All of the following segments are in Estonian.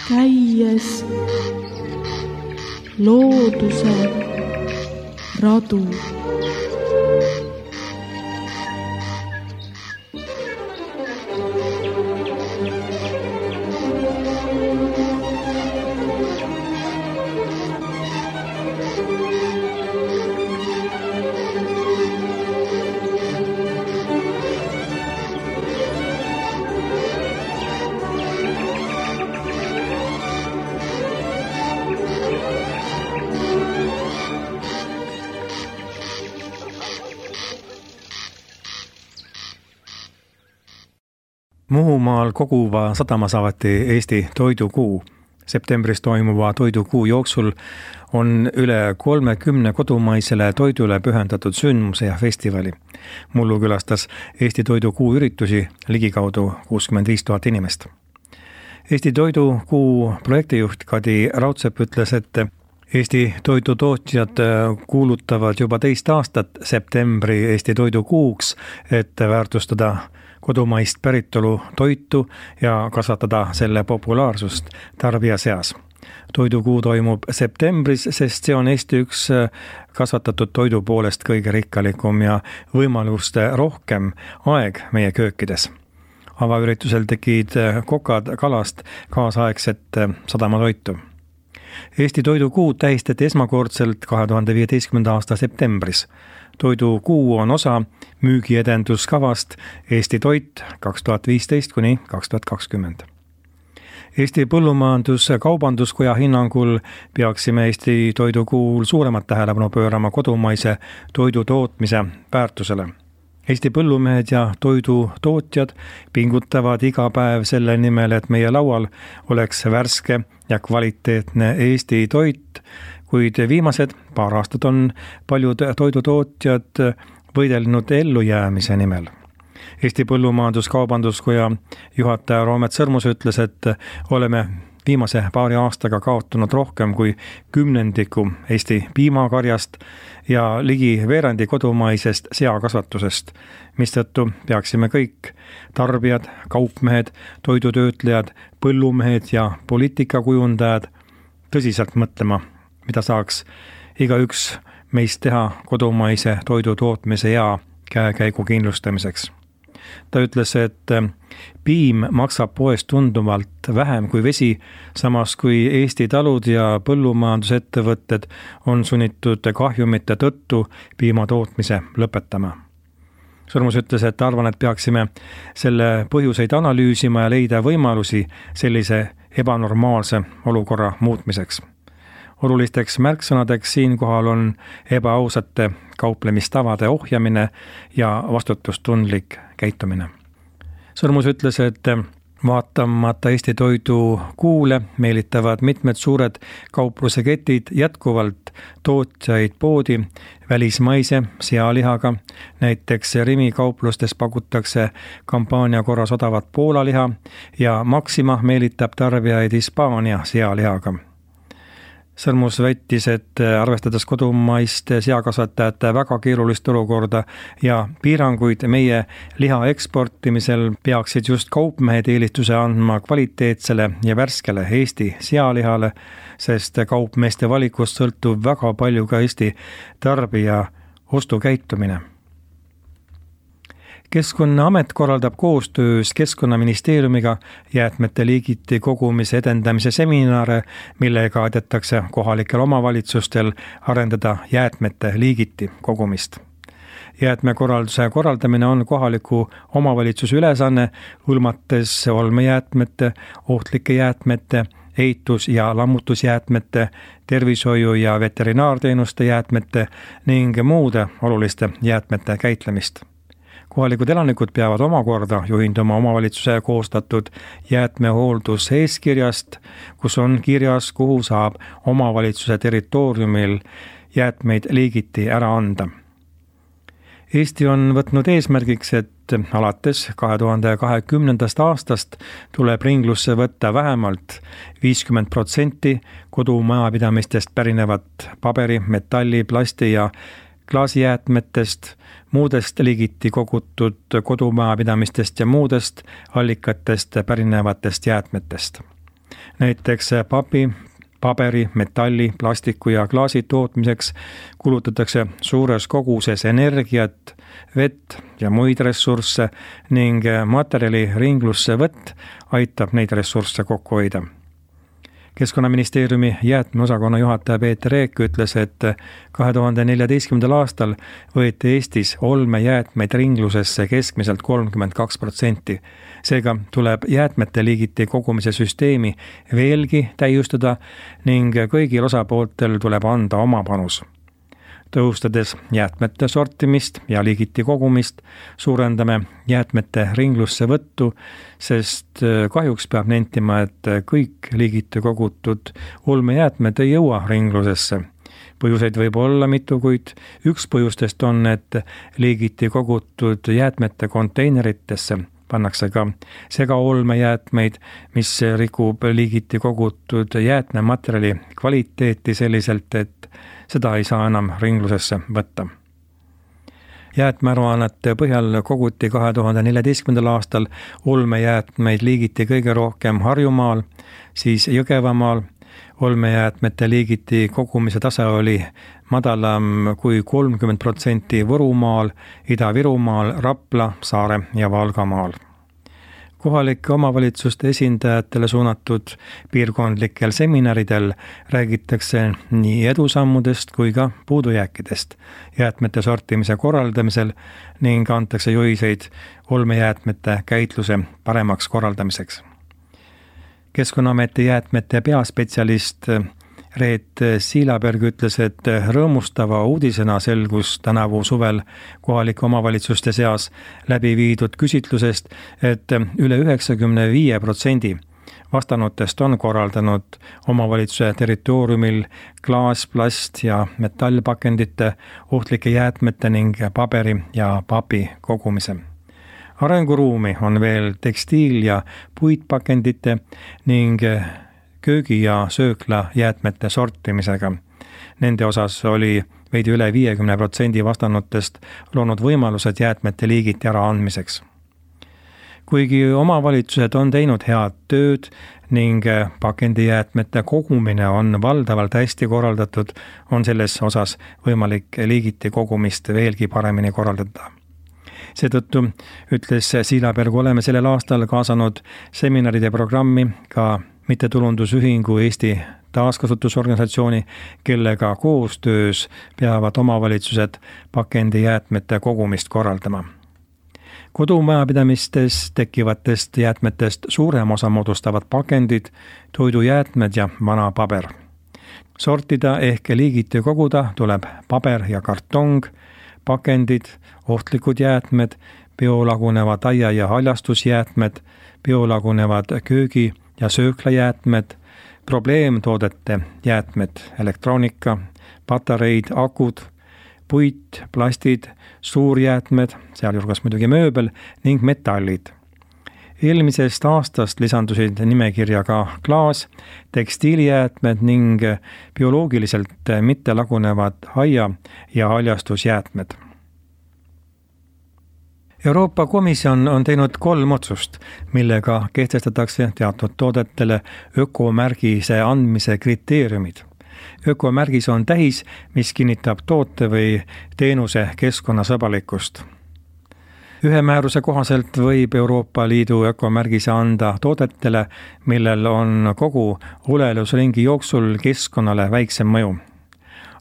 käies looduse radu. Muhumaal Koguva sadamas avati Eesti toidukuu. Septembris toimuva toidukuu jooksul on üle 30 kodumaisele toidule pühendatud sündmuse ja festivali. Mullu külastas Eesti toidukuu üritusi ligikaudu 65 000 inimest. Eesti toidukuu projektijuht Kadi Raudsepp ütles, et Eesti toidutootjad kuulutavad juba teist aastat septembri Eesti toidukuuks, et väärtustada kodumaist päritolu toitu ja kasvatada selle populaarsust tarbija seas. Toidukuu toimub septembris, sest see on Eesti üks kasvatatud toidu poolest kõige rikkalikum ja võimaluste rohkem aeg meie köökides. Avaüritusel tegid kokad kalast kaasaegset sadamatoitu. Eesti toidukuud tähistati esmakordselt 2015. aasta septembris. Toidukuu on osa müügiedenduskavast Eesti toit 2015–2020. Eesti Põllumajandus-Kaubanduskoja hinnangul peaksime Eesti toidukuul suuremat tähelepanu pöörama kodumaise toidutootmise väärtusele. Eesti põllumehed ja toidutootjad pingutavad iga päev selle nimel, et meie laual oleks värske ja kvaliteetne Eesti toit, kuid viimased paar aastat on paljud toidutootjad võidelnud ellujäämise nimel. Eesti Põllumajandus-Kaubanduskoja juhataja Roomet Sõrmus ütles, et oleme viimase paari aastaga kaotanud rohkem kui 10% Eesti piimakarjast ja ligi veerandi kodumaisest seakasvatusest, mistõttu peaksime kõik tarbijad, kaupmehed, toidutöötlejad, põllumehed ja poliitikakujundajad tõsiselt mõtlema, mida saaks igaüks meist teha kodumaise toidu tootmise ja käekäigu kindlustamiseks. Ta ütles, et piim maksab poes tunduvalt vähem kui vesi, samas kui Eesti talud ja põllumajandusettevõtted on sunnitud kahjumite tõttu piima tootmise lõpetama. Sõrmus ütles, et arvan, et peaksime selle põhjuseid analüüsima ja leida võimalusi sellise ebanormaalse olukorra muutmiseks. Olulisteks märksõnadeks siinkohal on ebaausate kauplemistavade ohjamine ja vastutustundlik käitumine. Sõrmus ütles, et vaatamata Eesti toidukuule meelitavad mitmed suured kaupluseketid jätkuvalt tootjaid poodi välismaise sealihaga. Näiteks Rimi kauplustes pakutakse kampaania korras odavat Poola liha ja Maxima meelitab tarbijaid Hispaania sealihaga. Sõrmus väitis, et arvestades kodumaiste seakasvatajate väga keerulist olukorda ja piiranguid meie liha eksportimisel peaksid just kaupmehed eelistuse andma kvaliteetsele ja värskele Eesti sealihale, sest kaupmeeste valikust sõltub väga palju ka Eesti tarbija ostukäitumine. Keskkonnaamet korraldab koostöös Keskkonnaministeeriumiga jäätmete liigiti kogumise edendamise seminare, millega aidatakse kohalikel omavalitsustel arendada jäätmete liigiti kogumist. Jäätmekorralduse korraldamine on kohaliku omavalitsuse ülesanne, hõlmates olmejäätmete, ohtlike jäätmete, ehitus- ja lammutusjäätmete, tervishoiu- ja veterinaarteenuste jäätmete ning muude oluliste jäätmete käitlemist. Kohalikud elanikud peavad omakorda juhinduma omavalitsuse koostatud jäätmehoolduseeskirjast, kus on kirjas, kuhu saab omavalitsuse territooriumil jäätmeid liigiti ära anda. Eesti on võtnud eesmärgiks, et alates 2020. aastast tuleb ringlusse võtta vähemalt 50% kodumajapidamistest pärinevat paberi, metalli, plasti ja klaasijäätmetest, muudest liigiti kogutud kodumajapidamistest ja muudest allikatest pärinevatest jäätmetest. Näiteks papi, paberi, metalli, plastiku ja klaasi tootmiseks kulutatakse suures koguses energiat, vett ja muid ressursse ning materjali ringlusse võtt aitab neid ressursse kokku hoida. Keskkonnaministeeriumi jäätmeosakonna juhataja Peeter Eek ütles, et 2014. aastal võeti Eestis olmejäätmeid ringlusesse keskmiselt 32%. Seega tuleb jäätmete liigiti kogumise süsteemi veelgi täiustada ning kõigil osapooltel tuleb anda oma panus. Tõhustades jäätmete sortimist ja liigiti kogumist, suurendame jäätmete ringlusse võttu, sest kahjuks peab nentima, et kõik liigiti kogutud olmejäätmed ei jõua ringlusesse. Põhjuseid võib olla mitu, kuid üks põhjustest on, et liigiti kogutud jäätmete konteineritesse pannakse ka segaolmejäätmeid, mis rikub liigiti kogutud jäätmematerjali kvaliteeti selliselt, et seda ei saa enam ringlusesse võtta. Jäätmearuannete põhjal koguti 2014. aastal olmejäätmeid liigiti kõige rohkem Harjumaal, siis Jõgevamaal. Olmejäätmete liigiti kogumise tase oli madalam kui 30% Võrumaal, Ida-Virumaal, Rapla, Saare ja Valgamaal. Kohalike omavalitsuste esindajatele suunatud piirkondlikel seminaridel räägitakse nii edusammudest kui ka puudujääkidest jäätmete sortimise korraldamisel ning antakse juhiseid olmejäätmete käitluse paremaks korraldamiseks. Keskkonnaameti jäätmete peaspetsialist Reet Siilaberg ütles, et rõõmustava uudisena selgus tänavu suvel kohalike omavalitsuste seas läbi viidud küsitlusest, et üle 95% vastanutest on korraldanud omavalitsuse territooriumil klaas, plast ja metallpakendite, ohtlike jäätmete ning paberi ja papi kogumise. Arenguruumi on veel tekstiil- ja puitpakendite ning köögi- ja sööklajäätmete sortimisega. Nende osas oli veidi üle 50% vastanutest loonud võimalused jäätmete liigiti äraandmiseks. Kuigi omavalitsused on teinud head tööd ning pakendijäätmete kogumine on valdavalt hästi korraldatud, on selles osas võimalik liigiti kogumist veelgi paremini korraldada. Seetõttu ütles Siilaberg, oleme sellel aastal kaasanud seminaride programmi ka mittetulundusühingu Eesti taaskasutusorganisatsiooni, kellega koostöös peavad omavalitsused pakendijäätmete kogumist korraldama. Kodumajapidamistes tekkivatest jäätmetest suurem osa moodustavad pakendid, toidujäätmed ja vana paber. Sortida ehk liigiti koguda tuleb paber ja kartong, pakendid, ohtlikud jäätmed, biolagunevad aia- ja haljastusjäätmed, biolagunevad köögi- ja sööklajäätmed, probleemtoodete jäätmed, elektroonika, patareid, akud, puit, plastid, suurjäätmed, sealjuures muidugi mööbel ning metallid. Eelmisest aastast lisandusid nimekirja ka klaas, tekstiilijäätmed ning bioloogiliselt mittelagunevad aia- ja haljastusjäätmed. Euroopa Komisjon on teinud 3 otsust, millega kehtestatakse teatud toodetele ökomärgise andmise kriteeriumid. Ökomärgis on tähis, mis kinnitab toote või teenuse keskkonnasõbralikkust. Ühe määruse kohaselt võib Euroopa Liidu ökomärgise anda toodetele, millel on kogu olelusringi jooksul keskkonnale väiksem mõju.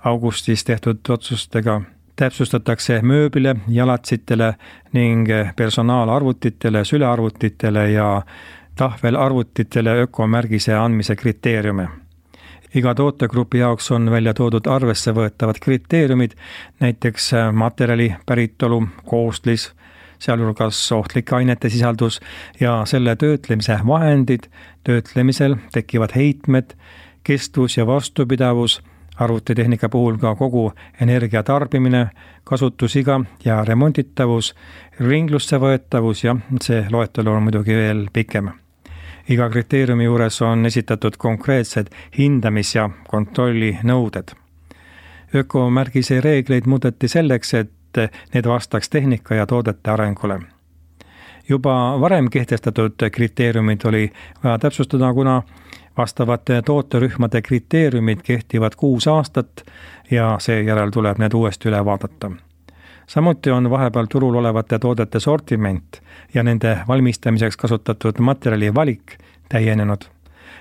Augustis tehtud otsustega täpsustatakse mööbile, jalatsitele ning personaalarvutitele, sülearvutitele ja tahvelarvutitele ökomärgise andmise kriteeriume. Iga tootegrupi jaoks on välja toodud arvesse võetavad kriteeriumid, näiteks materjali päritolu, koostis, sealhulgas ohtlike ainete sisaldus ja selle töötlemise vahendid, töötlemisel tekkivad heitmed, kestvus ja vastupidavus, arvutitehnika puhul ka kogu energia tarbimine, kasutusiga ja remonditavus, ringlusse võetavus ja see loetelu on muidugi veel pikem. Iga kriteeriumi juures on esitatud konkreetsed hindamis- ja kontrollinõuded. Ökomärgise reegleid muudeti selleks, et need vastaks tehnika ja toodete arengule. Juba varem kehtestatud kriteeriumid oli vaja täpsustada, kuna vastavate tooterühmade kriteeriumid kehtivad 6 aastat ja seejärel tuleb need uuesti üle vaadata. Samuti on vahepeal turul olevate toodete sortiment ja nende valmistamiseks kasutatud materjali valik täienenud.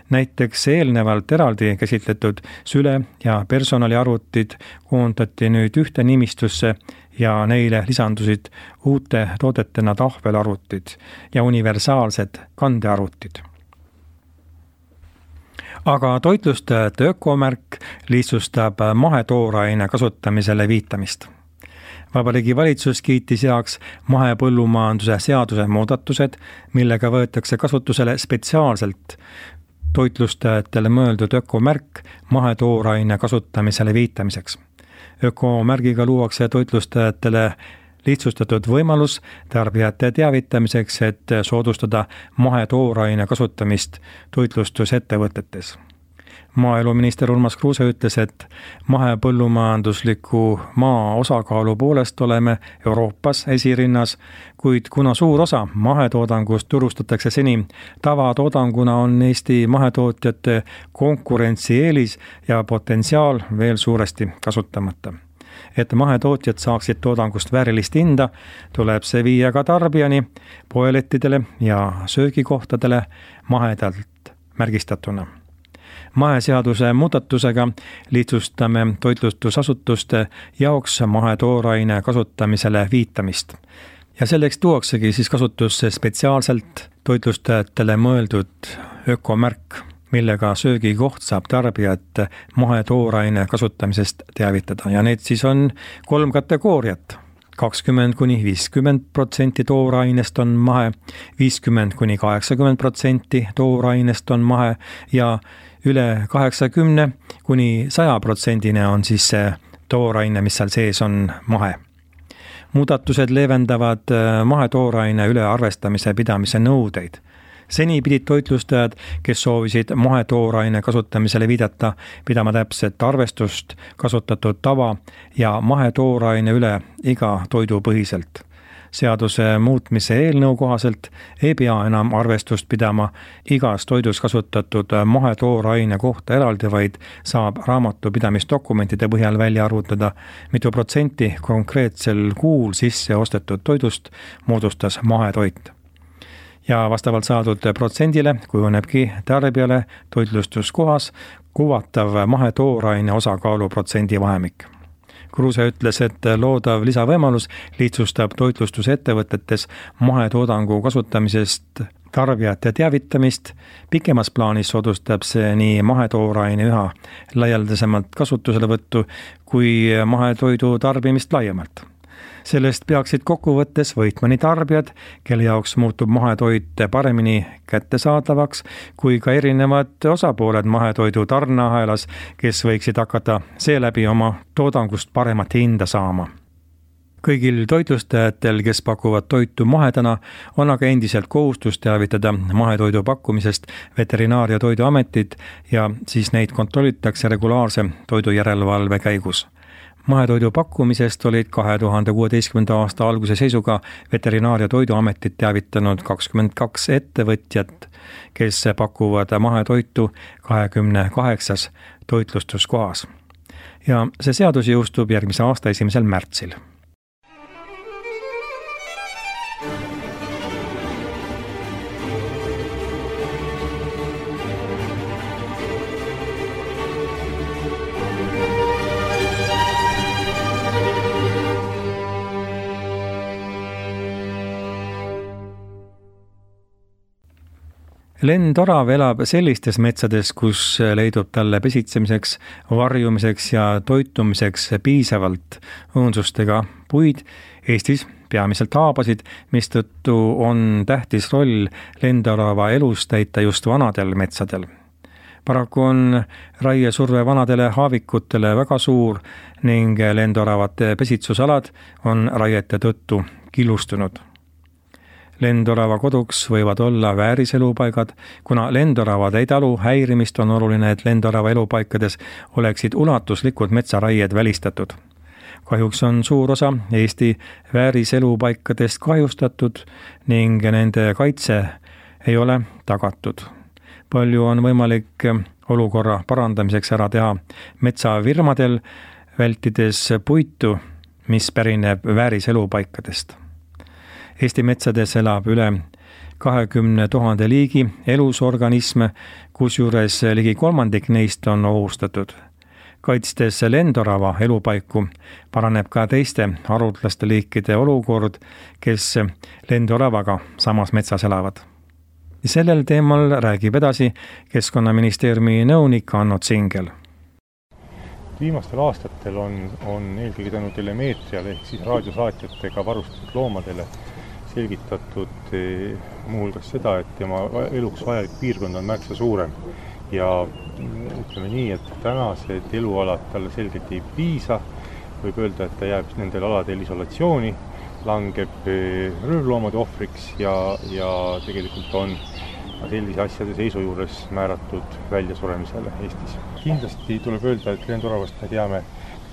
Näiteks eelnevalt eraldi käsitletud süle- ja personaliarvutid koondati nüüd ühte nimistusse ja neile lisandusid uute toodetena tahvelarvutid ja universaalsed kandearvutid. Aga toitlustajate ökomärk lihtsustab mahetooraine kasutamisele viitamist. Vabariigi Valitsus kiitis heaks mahepõllumajanduse seaduse muudatused, millega võetakse kasutusele spetsiaalselt toitlustajatele mõeldud ökomärk mahetooraine kasutamisele viitamiseks. Ökomärgiga luuakse toitlustajatele lihtsustatud võimalus tarbijate teavitamiseks, et soodustada mahetooraine kasutamist toitlustusettevõtetes. Maaeluminister Urmas Kruuse ütles, et mahepõllumajandusliku maa osakaalu poolest oleme Euroopas esirinnas, kuid kuna suur osa mahetoodangust turustatakse seni tavatoodanguna, on Eesti mahetootjate konkurentsieelis ja potentsiaal veel suuresti kasutamata. Et mahetootjad saaksid toodangust väärilist hinda, tuleb see viia ka tarbijani, poelettidele ja söögikohtadele mahedalt märgistatuna. Maheseaduse muudatusega lihtsustame toitlustusasutuste jaoks mahetooraine kasutamisele viitamist. Ja selleks tuuaksegi siis kasutusse spetsiaalselt toitlustajatele mõeldud ökomärk, millega söögikoht saab tarbijat mahetooraine kasutamisest teavitada. Ja need siis on 3 kategooriat. 20–50% toorainest on mahe, 50–80% toorainest on mahe ja üle 80–100% on siis see tooraine, mis seal sees on mahe. Muudatused leevendavad mahetooraine ülearvestamise pidamise nõudeid. Seni pidid toitlustajad, kes soovisid mahetooraine kasutamisele viidata, pidama täpset arvestust kasutatud tava ja mahetooraine üle iga toidu põhiselt. Seaduse muutmise eelnõu kohaselt ei pea enam arvestust pidama igas toidus kasutatud mahetooraine kohta eraldi, vaid saab raamatupidamisdokumentide põhjal välja arvutada, mitu protsenti konkreetsel kuul sisse ostetud toidust moodustas mahetoit. Ja vastavalt saadud protsendile kujunebki tarbijale toitlustuskohas kuvatav mahetooraine osakaalu protsendi vahemik. Kruuse ütles, et loodav lisavõimalus lihtsustab toitlustusettevõtetes mahetoodangu kasutamisest tarbijate teavitamist. Pikemas plaanis soodustab see nii mahetooraine üha laialdasemalt kasutuselevõttu kui mahetoidu tarbimist laiemalt. Sellest peaksid kokkuvõttes võitma nii tarbijad, kelle jaoks muutub mahetoit paremini kättesaadavaks, kui ka erinevad osapooled mahetoidu tarneahelas, kes võiksid hakata seeläbi oma toodangust paremat hinda saama. Kõigil toitlustajatel, kes pakuvad toitu mahedana, on aga endiselt kohustus teavitada mahetoidu pakkumisest Veterinaar- ja Toiduametit ja siis neid kontrollitakse regulaarse toidujärelevalve käigus. Mahetoidu pakkumisest olid 2016. aasta alguse seisuga Veterinaar- ja Toiduametit teavitanud 22 ettevõtjat, kes pakuvad mahetoitu 28 toitlustuskohas. Ja see seadus jõustub järgmise aasta 1. märtsil. Lendorav elab sellistes metsades, kus leidub talle pesitsemiseks, varjumiseks ja toitumiseks piisavalt õõnsustega puid, Eestis peamiselt haabasid, mistõttu on tähtis roll lendorava elus täita just vanadel metsadel. Paraku on raiesurve vanadele haavikutele väga suur ning lendoravate pesitsusalad on raiete tõttu killustunud. Lendorava koduks võivad olla vääriselupaigad, kuna lendoravad ei talu häirimist, on oluline, et lendorava elupaikades oleksid ulatuslikud metsaraied välistatud. kahjuks on suur osa Eesti vääriselupaikadest kahjustatud ning nende kaitse ei ole tagatud. Palju on võimalik olukorra parandamiseks ära teha metsafirmadel, vältides puitu, mis pärineb vääriselupaikadest. Eesti metsades elab üle 20 000 liigi elusorganisme, kusjuures ligi kolmandik neist on ohustatud. Kaitstes lendorava elupaiku paraneb ka teiste haruldaste liikide olukord, kes lendoravaga samas metsas elavad. Sellel teemal räägib edasi Keskkonnaministeeriumi nõunik Anno Tsingel. Viimastel aastatel on eelkõige tänu telemeetriale ehk siis raadiosaatjatega varustatud loomadele selgitatud muuhulgas seda, et tema eluks vajalik piirkond on märksa suurem. Ja ütleme nii, et tänased elualad talle selgelt ei piisa, võib öelda, et ta jääb nendel aladel isolatsiooni, langeb röövloomade ohvriks ja tegelikult on sellise asjade seisu juures määratud väljasuremisele Eestis. Kindlasti tuleb öelda, et lendoravast me teame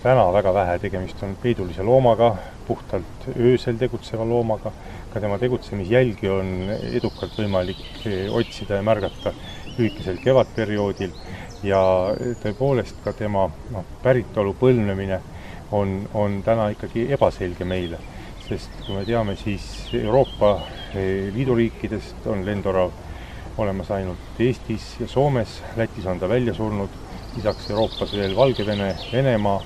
täna väga vähe, tegemist on peidulise loomaga, puhtalt öösel tegutseva loomaga, ka tema tegutsemisjälgi on edukalt võimalik otsida ja märgata lühikesel kevadperioodil ja tõepoolest ka tema päritolu põlvnemine on täna ikkagi ebaselge meile, sest kui me teame, siis Euroopa Liidu riikidest on lendorav olemas ainult Eestis ja Soomes, Lätis on ta välja surnud, lisaks Euroopas veel Valgevene, Venemaa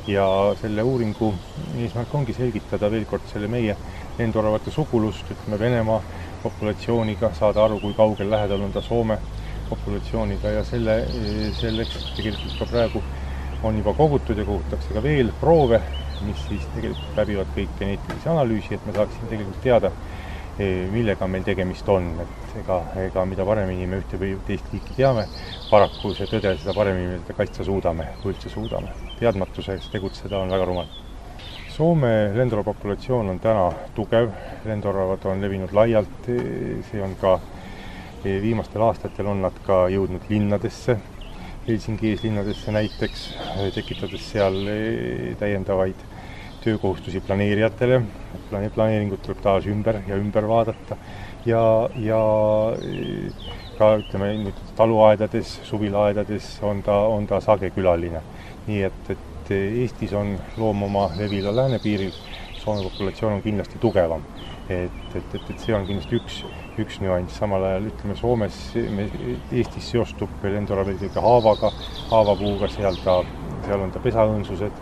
ja selle uuringu eesmärk ongi selgitada veel kord selle meie lendoravate sugulust, ütleme Venemaa populatsiooniga, saada aru, kui kaugel lähedal on ta Soome populatsiooniga ja selleks tegelikult ka praegu on juba kogutud ja kogutakse ka veel proove, mis siis tegelikult läbivad kõik geneetilisi analüüsi, et me saaksime tegelikult teada, millega meil tegemist on, et ega mida paremini me ühte või teist liiki teame, paraku see tõde, seda paremini me kaitsta suudame, kui üldse suudame. Teadmatuseks tegutseda on väga rumal. Soome lendorava populatsioon on täna tugev, lendoravad on levinud laialt, see on ka viimastel aastatel on nad ka jõudnud linnadesse, Helsingi eeslinnadesse näiteks, tekitades seal täiendavaid töökohustusi planeerijatele, planeeringud tuleb taas ümber vaadata ja ka ütleme nüüd taluaedades, suvilaedades on ta sage külaline. Nii et Eestis on loom oma levila läänepiiril, Soome populatsioon on kindlasti tugevam. Et see on kindlasti üks nüanss, samal ajal ütleme Soomes, Eestis seostub lendorav eelkõige haavaga, haavapuuga, seal on ta pesaõõnsused,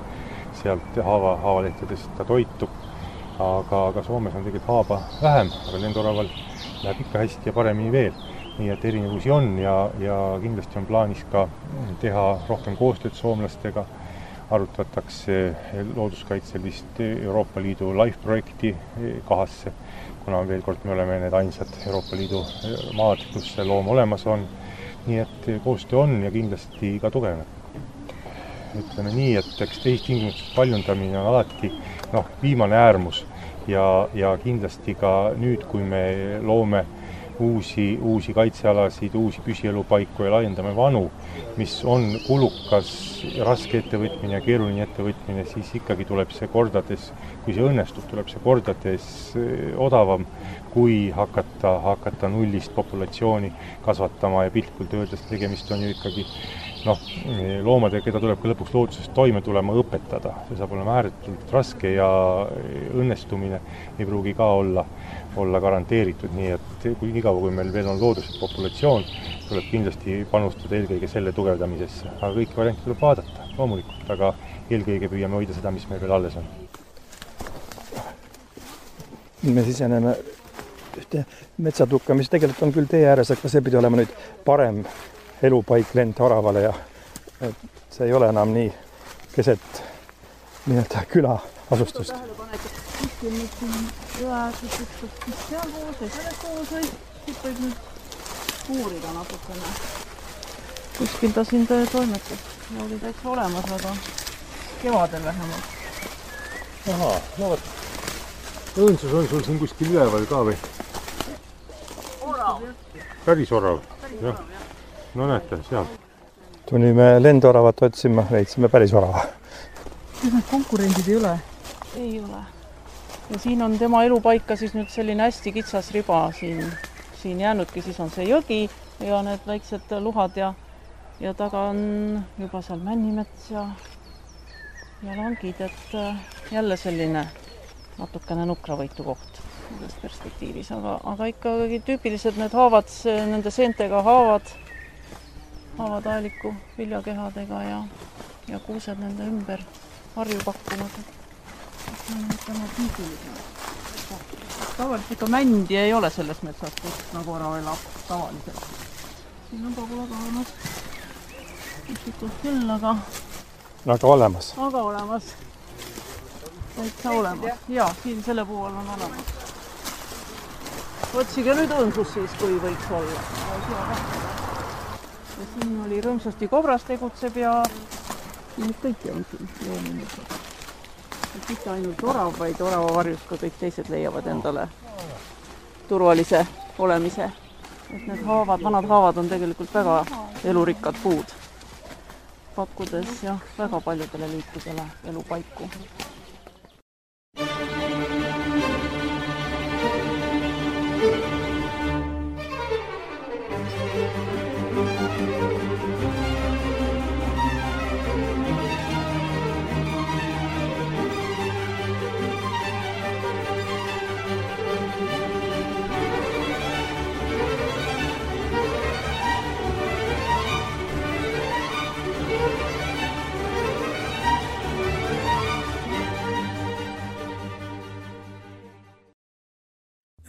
sealt haavalehtedest ta toitub, aga Soomes on tegelikult haava vähem, aga lendoraval läheb ikka hästi ja paremini veel. Nii et erinevusi on ja kindlasti on plaanis ka teha rohkem koostööd soomlastega, arutatakse looduskaitselist Euroopa Liidu LIFE-projekti kahasse, kuna veel kord me oleme need ainsad Euroopa Liidu maad, kus see loom olemas on. Nii et koostöö on ja kindlasti ka tugevneb. Ütleme nii, et tehistingimustest paljundamine on alati viimane äärmus ja kindlasti ka nüüd, kui me loome uusi kaitsealasid, uusi püsielupaiku ja laiendame vanu, mis on kulukas, raske ettevõtmine ja keeruline ettevõtmine, siis ikkagi tuleb see kordades, kui see õnnestub, tuleb see kordades odavam, kui hakata nullist populatsiooni kasvatama ja piltkult öeldes tegemist on ju ikkagi loomadega, keda tuleb ka lõpuks loodusest toime tulema õpetada. See saab olema ääretult raske ja õnnestumine ei pruugi ka olla garanteeritud, nii et kui meil veel on looduslik populatsioon, tuleb kindlasti panustada eelkõige selle tugevdamisesse. Aga kõiki variante tuleb vaadata, loomulikult, aga eelkõige püüame hoida seda, mis meil veel alles on. Me siseneme ühte metsatukka, mis tegelikult on küll tee ääres, aga see pidi olema nüüd parem elupaik lendoravale ja see ei ole enam nii keset küla asustust. Kuskil nüüd siin üheaegselt, mis seal koos või selles koos või siit võib nüüd uurida natukene. Kuskil ta siin toimetab. Oli täitsa olemas, aga kevadel vähemalt. Ahaa, võt. Õõnsus on sul siin kuskil üleval ka või? Orav. Päris orav. Jah. No näete, seal. Tulime lendoravat otsima, leidsime päris orava. kas need konkurendid ei ole? Ei ole. Ja siin on tema elupaika siis nüüd selline hästi kitsas riba siin jäänudki, siis on see jõgi ja need väiksed luhad ja taga on juba seal männimets ja langid, et jälle selline natukene nukravõitu koht selles perspektiivis, aga ikkagi tüüpilised need haavad, nende seentega haavad aeliku viljakehadega ja kuused nende ümber harju pakkunud. Tavaliselt ikka mändi ei ole selles metsas, kus nagu ära elab tavaliselt. Siin on pagula ka olemas. Üksikult küll, aga olemas. Aga olemas. Täitsa olemas. Jaa, siin selle puu all on olemas. Otsige nüüd õnsus siis, kui võiks olla. Ja siin oli rõõmsasti kobras tegutseb ja nüüd kõiki on siin loomulikult. Mitte ainult orav, vaid orava varjus ka kõik teised leiavad endale turvalise olemise. Et need vanad haavad on tegelikult väga elurikkad puud, pakkudes väga paljudele liikidele elupaiku.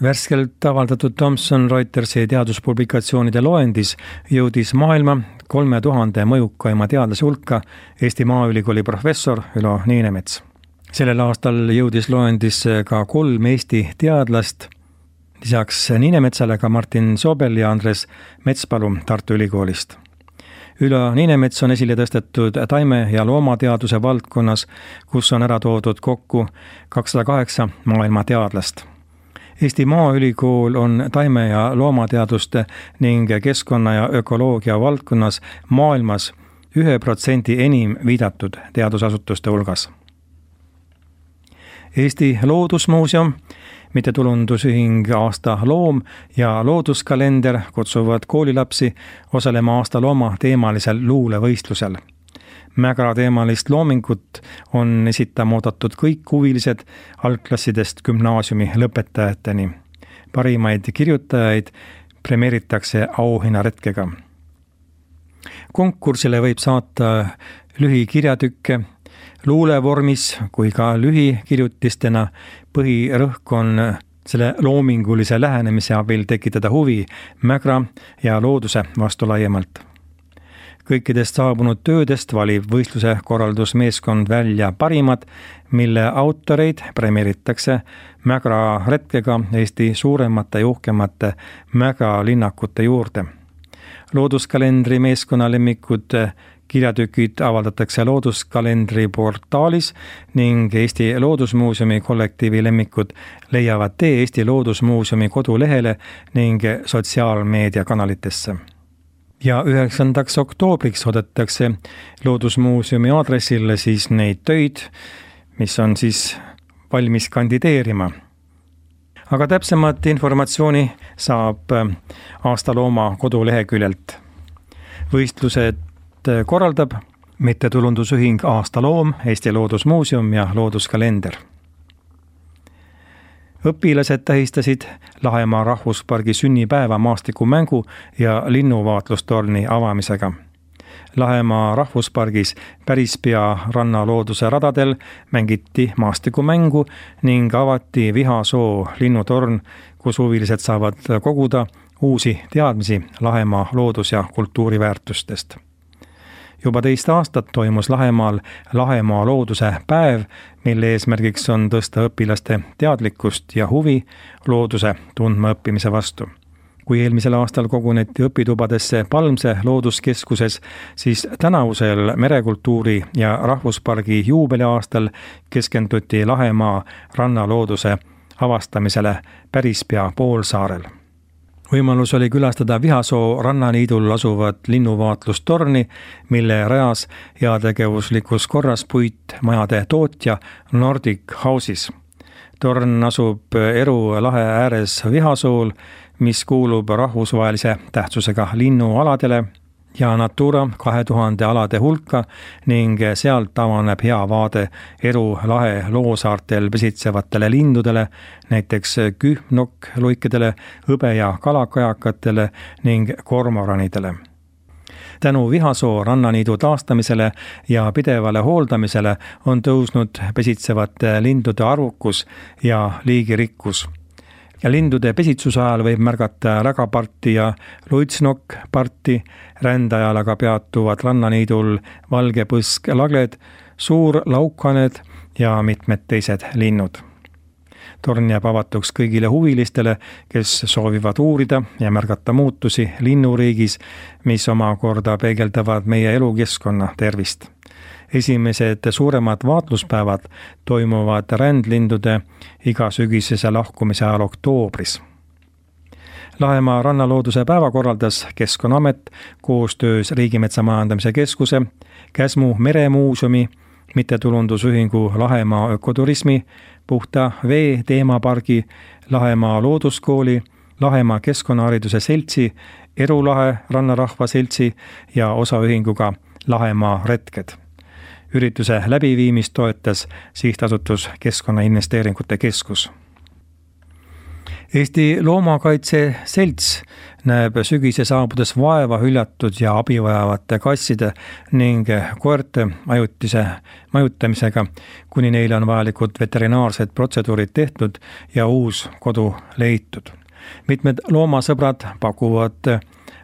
Värskelt avaldatud Thomson Reutersi teaduspublikatsioonide loendis jõudis maailma 3000 mõjukaima teadlase hulka Eesti Maaülikooli professor Ülo Niinemets. Sellel aastal jõudis loendisse ka 3 Eesti teadlast, lisaks Niinemetsale ka Martin Sobel ja Andres Metspalu Tartu Ülikoolist. Ülo Niinemets on esile tõstetud taime- ja loomateaduse valdkonnas, kus on ära toodud kokku 208 maailma teadlast. Eesti Maaülikool on taime- ja loomateaduste ning keskkonna- ja ökoloogia valdkonnas maailmas 1% enim viidatud teadusasutuste hulgas. Eesti Loodusmuuseum, mittetulundusühing Aasta Loom ja Looduskalender kutsuvad koolilapsi osalema Aasta Looma teemalisel luulevõistlusel. Mägra teemalist loomingut on esitama oodatud kõik huvilised algklassidest gümnaasiumi lõpetajateni. Parimaid kirjutajaid premeeritakse auhinnaretkega. Konkursile võib saata lühikirjatükke luulevormis kui ka lühikirjutistena. Põhirõhk on selle loomingulise lähenemise abil tekitada huvi mägra ja looduse vastu laiemalt. Kõikidest saabunud töödest valib võistluse korraldusmeeskond välja parimad, mille autoreid premeeritakse mägra retkega Eesti suuremate ja uhkemate mägralinnakute juurde. Looduskalendri meeskonna lemmikud kirjatükid avaldatakse Looduskalendri portaalis ning Eesti Loodusmuuseumi kollektiivi lemmikud leiavad tee Eesti Loodusmuuseumi kodulehele ning sotsiaalmeediakanalitesse. Ja 9. oktoobriks oodatakse Loodusmuuseumi aadressil siis neid töid, mis on siis valmis kandideerima. Aga täpsemat informatsiooni saab Aasta Looma koduleheküljelt. Võistlused korraldab mittetulundusühing Aasta Loom, Eesti Loodusmuuseum ja Looduskalender. Õpilased tähistasid Lahemaa rahvuspargi sünnipäeva maastikumängu ja linnuvaatlustorni avamisega. Lahemaa rahvuspargis päris pea rannalooduse radadel mängiti maastikumängu ning avati Vihasoo linnutorn, kus huvilised saavad koguda uusi teadmisi Lahemaa loodus- ja kultuuriväärtustest. Juba 2 aastat toimus Lahemaal Lahemaa looduse päev, mille eesmärgiks on tõsta õpilaste teadlikkust ja huvi looduse tundma õppimise vastu. Kui eelmisel aastal koguneti õpitubadesse Palmse looduskeskuses, siis tänavusel merekultuuri ja rahvuspargi juubeliaastal keskenduti Lahemaa rannalooduse avastamisele päris pea poolsaarel. Võimalus oli külastada Vihasoo rannaniidul asuvat linnuvaatlustorni, mille rajas heategevuslikus korras puitmajade tootja Nordic Houses. Torn asub Eru lahe ääres Vihasool, mis kuulub rahvusvahelise tähtsusega linnualadele ja Natura 2000 alade hulka ning sealt avaneb hea vaade Eru lahe loosaartel pesitsevatele lindudele, näiteks kühnokk-luikedele, hõbe- ja kalakajakatele ning kormoranidele. Tänu Vihasoo rannaniidu taastamisele ja pidevale hooldamisele on tõusnud pesitsevate lindude arvukus ja liigirikkus. Ja lindude pesitsuse ajal võib märgata rägaparti ja luitsnokkparti, rändajal aga peatuvad rannaniidul valgepõsk-lagled, suur laukhaned ja mitmed teised linnud. Torn jääb avatuks kõigile huvilistele, kes soovivad uurida ja märgata muutusi linnuriigis, mis omakorda peegeldavad meie elukeskkonna tervist. Esimesed suuremad vaatluspäevad toimuvad rändlindude igasügisese lahkumise ajal oktoobris. Lahemaa rannalooduse päeva korraldas Keskkonnaamet koostöös Riigimetsa Majandamise Keskuse, Käsmu meremuuseumi, mittetulundusühingu Lahemaa ökoturismi, Puhta vee teemapargi, Lahemaa looduskooli, Lahemaa keskkonnahariduse seltsi, Eru lahe rannarahva seltsi ja osaühinguga Lahemaa retked. Ürituse läbiviimist toetas sihtasutus Keskkonnainvesteeringute Keskus. Eesti Loomakaitse Selts näeb sügise saabudes vaeva hüljatud ja abivajavate kasside ning koerte ajutise majutamisega, kuni neile on vajalikud veterinaarsed protseduurid tehtud ja uus kodu leitud. Mitmed loomasõbrad pakuvad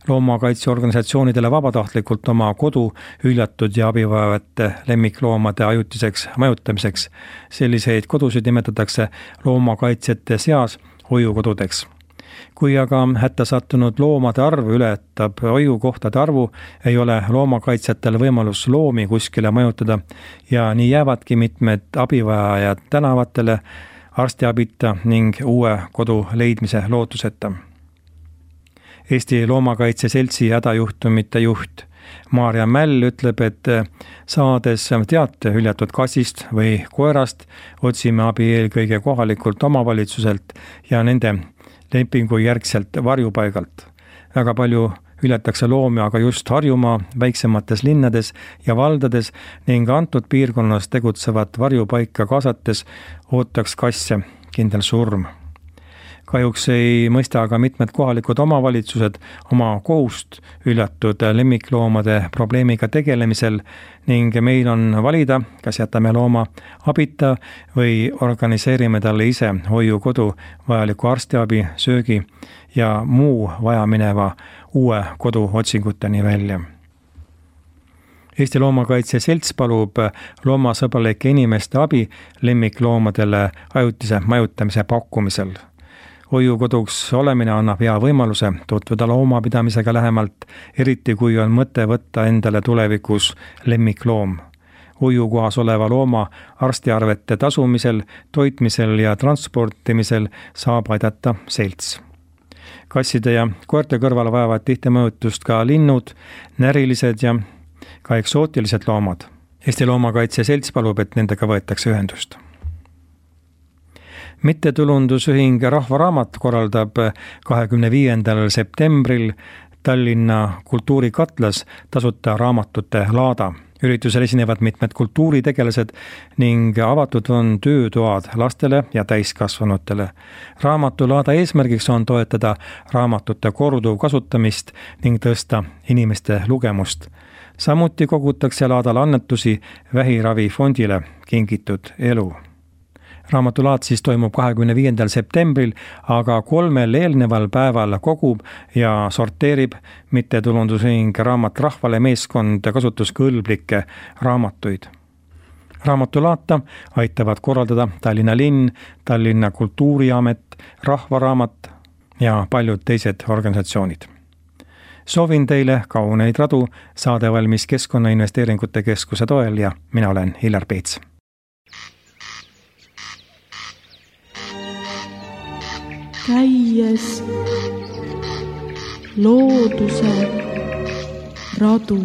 loomakaitseorganisatsioonidele vabatahtlikult oma kodu hüljatud ja abivajavate lemmikloomade ajutiseks majutamiseks. Selliseid kodusid nimetatakse loomakaitsjate seas hoiukodudeks. Kui aga hätta sattunud loomade arv ületab hoiukohtade arvu, ei ole loomakaitsjatel võimalus loomi kuskile majutada ja nii jäävadki mitmed abivajajad tänavatele arstiabita ning uue kodu leidmise lootuseta. Eesti Loomakaitse Seltsi hädajuhtumite juht Maarja Mäll ütleb, et saades teate hüljatud kassist või koerast, otsime abi eelkõige kohalikult omavalitsuselt ja nende lepingu järgselt varjupaigalt. Väga palju hüljatakse loomi aga just Harjumaa väiksemates linnades ja valdades ning antud piirkonnas tegutsevat varjupaika kaasates ootaks kasse kindel surm. Kahjuks ei mõista aga mitmed kohalikud omavalitsused oma kohust hüljatud lemmikloomade probleemiga tegelemisel ning meil on valida, kas jätame looma abita või organiseerime talle ise hoiukodu vajaliku arstiabi, söögi ja muu vajamineva uue kodu otsinguteni välja. Eesti Loomakaitse Selts palub loomasõbralike inimeste abi lemmikloomadele ajutise majutamise pakkumisel. Hoiukoduks olemine annab hea võimaluse tutvuda loomapidamisega lähemalt, eriti kui on mõte võtta endale tulevikus lemmikloom. Hoiukohas oleva looma arstiarvete tasumisel, toitmisel ja transportimisel saab aidata selts. Kasside ja koerte kõrval vajavad tihti mõjutust ka linnud, närilised ja ka eksootilised loomad. Eesti Loomakaitse Selts palub, et nendega võetakse ühendust. Mittetulundusühing Rahvaraamat korraldab 25. septembril Tallinna kultuurikatlas tasuta raamatute laada. Üritusel esinevad mitmed kultuuritegelased ning avatud on töötoad lastele ja täiskasvanutele. Raamatulaada eesmärgiks on toetada raamatute korduv kasutamist ning tõsta inimeste lugemust. Samuti kogutakse laadal annetusi vähiravifondile Kingitud elu. Raamatulaad siis toimub 25. septembril, aga 3 eelneval päeval kogub ja sorteerib mittetulundusühing Raamat rahvale meeskond kasutuskõlblikke raamatuid. Raamatulaata aitavad korraldada Tallinna linn, Tallinna Kultuuriamet, Rahvaraamat ja paljud teised organisatsioonid. Soovin teile kauneid radu, saade valmis Keskkonnainvesteeringute Keskuse toel ja mina olen Hillar Peets. Käies looduse radu.